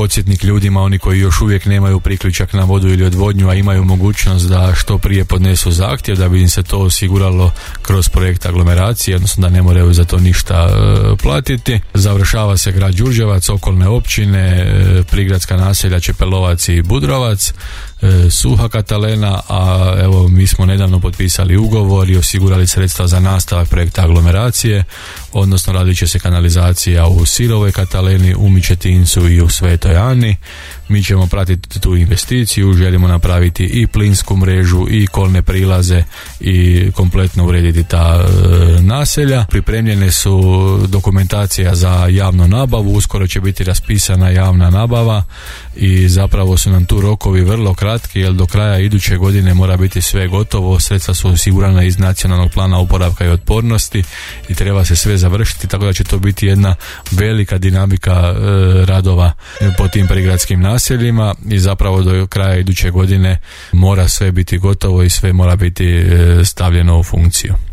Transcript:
podsjetnik ljudima, oni koji još uvijek nemaju priključak na vodu ili odvodnju, a imaju mogućnost da što prije podnesu zahtjev, da bi im se to osiguralo kroz projekt aglomeracije, odnosno da ne moraju za to ništa platiti. Završava se grad Đurđevac, okolne općine, prigradska naselja Čepelovac i Budrovac, Suha Katalena, a evo mi smo nedavno potpisali ugovor i osigurali sredstva za nastavak projekta aglomeracije, odnosno radit će se kanalizacija u Sirovoj Kataleni, u Mičetincu i u Svetoj Ani. Mi ćemo pratiti tu investiciju, želimo napraviti i plinsku mrežu i kolne prilaze i kompletno urediti ta naselja. Pripremljene su dokumentacija za javnu nabavu, uskoro će biti raspisana javna nabava i zapravo su nam tu rokovi vrlo kratki, jer do kraja iduće godine mora biti sve gotovo, sredstva su osigurana iz Nacionalnog plana oporavka i otpornosti i treba se sve završiti, tako da će to biti jedna velika dinamika radova po tim prigradskim naseljima i zapravo do kraja iduće godine mora sve biti gotovo i sve mora biti stavljeno u funkciju.